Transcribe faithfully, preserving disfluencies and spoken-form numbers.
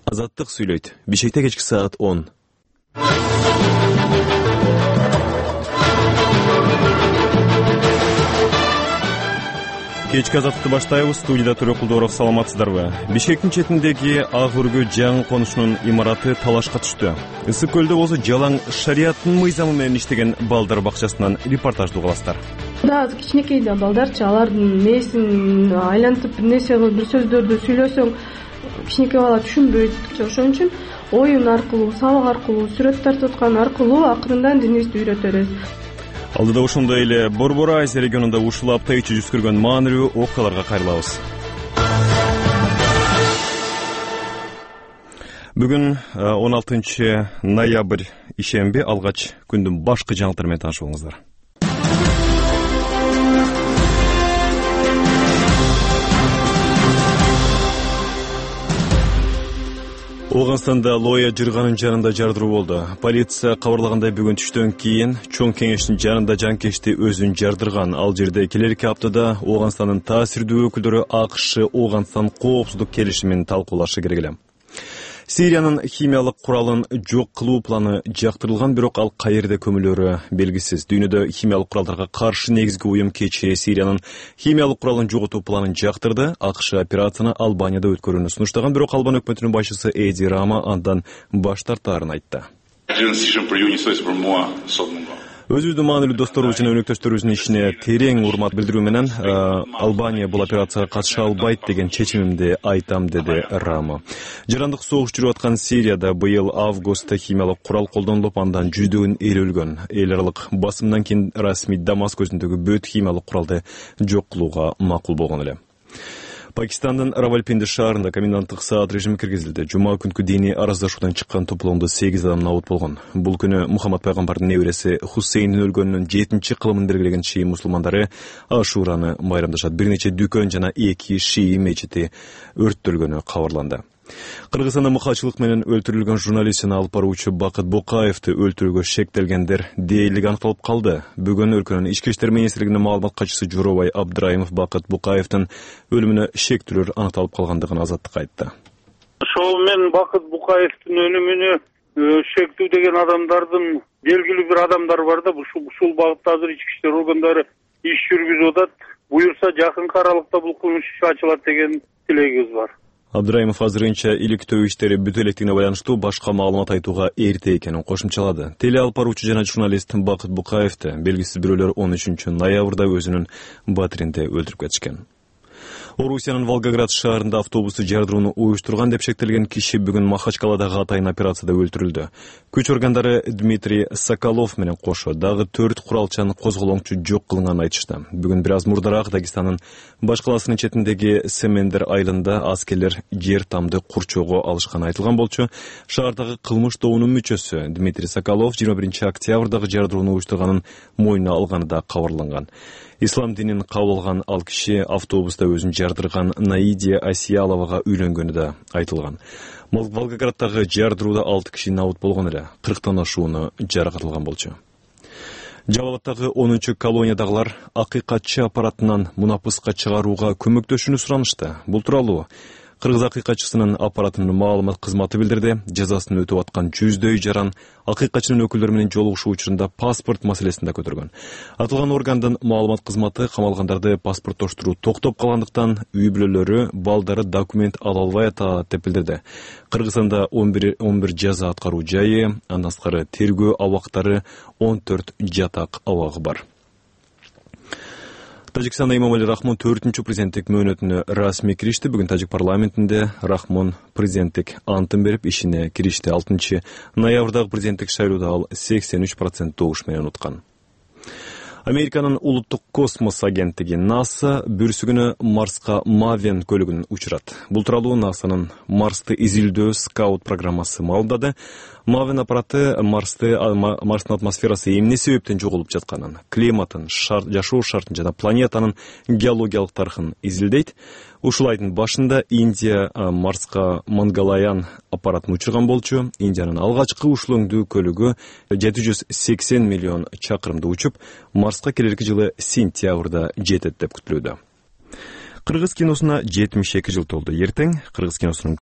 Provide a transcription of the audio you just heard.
Азаттык сүйлөйт. Бишкекте кечки саат он. Кечки азаттыкты баштайбыз. Студияда Төрөк Кулдоров, саламатсыздарбы? Бишкектин четиндеги Ак Үргө жаңы конушунун имараты талашка түштү. Ысык көлдө болсо жалаң шарияттын мыйзамы менен иштеген балдар бакчасынан репортажды угасыздар. Да, кичинекей да балдарчы, алардын мээсин айлантып бир нерсе кылып, бир сөздөрдү сүйлөсөң, кичинекей бала түшүнбөйт. Ошон үчүн оюн аркылуу, сабак аркылуу, сүрөт тартып аткан аркылуу акырындан динибизди үйрөтөбүз. Алдыда ошондой эле Борбор Азия регионунда ушул апта ичи жүз көргөн маанилүү окуяларга кайрылабыз. Бүгүн он алтынчы ноябрь ишемби, алгач күндүн башкы жаңылыктары менен таанышып болуңуздар. Оганстанда Лоя жырганын жанында жардыруу болду. Полиция кабарлагандай бүгүн түштөн кийин чоң кеңештин жанында жанкечти өзүн жардырган. Ал жерде келерки аптада Оганстандын таасирдүү өкүлдөрү АКШ Оганстан коопсуздук келишимин талкуулашы керек эле. Сириянын химиялык куралын жок кылуу планы жактырылган, бирок ал каерде көмүлөрү белгисиз. Дүйнөдө химиялык куралдарга каршы негизги уюм кечээ Сириянын химиялык куралын жоготуу планын жактырды. АКШ операцияны Албанияда өткөрүүнү сунуштаган, бирок Албан өкмөтүнүн башчысы Эди Рама андан баш тартаарын айтты. Өзүбүздүн маанилүү досторубуз жана өнөктөштөрүбүздүн ишине терең урмат билдирүү менен Албания бул операцияга катыша албайт деген чечимимди айтам, деди Рама. Жарандык согуш жүрүп аткан Сирияда быйыл августта химиялык курал колдонулуп, андан жүздөгөн эл өлгөн. Эл аралык басымдан кийин расмий Дамаск өзүндөгү бүт химиялык куралды жок кылууга макул болгон эле. Пакистандын Равалпинди шаарында коменданттык саат режими киргизилди. Жума күнкү диний араздашуудан чыккан топлоомдо сегиз адам набыт болгон. Бул күнү Мухаммад пайгамбардын небереси Хусейндин өлгөнүнүн жетинчи кылымын белгилеген шии мусулмандары Ашураны байрамдашат. Бир нече дүкөн жана эки шии мечити өрттөлгөнү кабарланды. Кыргызстанда мыкаачылык менен өлтүрүлгөн журналистин алып баруучу Бакыт Букаевди өлтүрүүгө шектелгендер дээрлиги аныкталып калды. Бүгүн өлкөнүн ички иштер министрлигинин маалымат катчысы Жоробай Абдраимов Бакыт Букаевдин өлүмүнө шектүүлөр аныкталып калгандыгын Азаттыкка айтты. Ошол мен Бакыт Букаевдин өлүмүнө шектүү деген адамдардын белгилүү бир адамдар бар да, ушул багытта азыр ички иштер органдары иш жүргүзүп атат. Буюрса жакынкы аралыкта бул кылмыш иши ачылат деген тилегибиз бар. Абдраимов азырынча иликтөө иштери бүтө электигине байланыштуу башка маалымат айтууга эрте экенин кошумчалады. Теле алып баруучу жана журналист Бакыт Букаевди белгисиз бирөөлөр он үчүнчү ноябрда өзүнүн батиринде өлтүрүп кетишкен. Орусиянын Волгоград шаарында автобусту жардырууну уюштурган деп шектелген киши бүгүн Махачкаладагы атайын операцияда өлтүрүлдү. Күч органдары Дмитрий Соколов менен кошо дагы төрт куралчан козголоңчу жок кылынганын айтышты. Бүгүн бир аз мурдараак Дагестандын баш каласынын четиндеги Семендер айылында аскерлер жер тамды курчоого алышканы айтылган болчу. Шаардагы кылмыш тобунун мүчөсү Дмитрий Соколов жыйырма биринчи октябрдагы жардырууну уюштурганын мойнуна алганы да кабарланган. Ислам динин кабыл алган ал киши автобуста өзүн жардырган Наидия Асияловага үйлөнгөнү да айтылган. Волгограддагы жардырууда алты киши набыт болгон эле, кырктан ашууну жаракатылган болчу. Жабалаттагы онунчу колониядагылар акыйкатчы аппаратынан мунапыска чыгарууга көмөктөшүүнү суранышты. Бул тууралуу Кыргыз акыйкатчысынын аппаратынын маалымат кызматы билдирди. Жазасын өтүп аткан жүздөй жаран акыйкатчынын өкүлдөрү менен жолугушуу учурунда паспорт маселесин да көтөргөн. Аталган органдын маалымат кызматы камалгандарды паспорттоштуруу токтоп калгандыктан үй бүлөлөрү балдары документ ала албай атат деп билдирди. Кыргызстанда он бир жаза аткаруу жайы, андан сырткары тергөө абактары, он төрт жатак абагы бар. Тажикстанда Имомали Рахмон төртүнчү президенттик мөөнөтүнө расмий киришти. Бүгүн Тажик парламентинде Рахмон президенттик антын берип ишине киришти. алтынчы ноябрдагы президенттик шайлоодо ал сексен үч процент добуш менен уткан. Американын улуттук космос агенттиги НАСА бүрсүгүнө Марска Мавен көлүгүн учурат. Бул тууралуу НАСАнын Марсты изилдөө скаут программасы маалымдады. Мавен аппараты Марсты, Марстын атмосферасы эмне себептен жоголуп жатканын, климатын, шарт, жашоо шартын жана планетанын геологиялык тарыхын изилдейт. Ушул айдын башында Индия Марска Мангалаян аппаратын учурган болчу. Индиянын алгачкы ушул өңдүү көлүгү жети жүз сексен миллион чакырымды учуп, Марска келерки жылы сентябрда жетет деп күтүлүүдө. Кыргыз киносуна жетимиш эки жыл толду. Эртең Кыргыз киносунун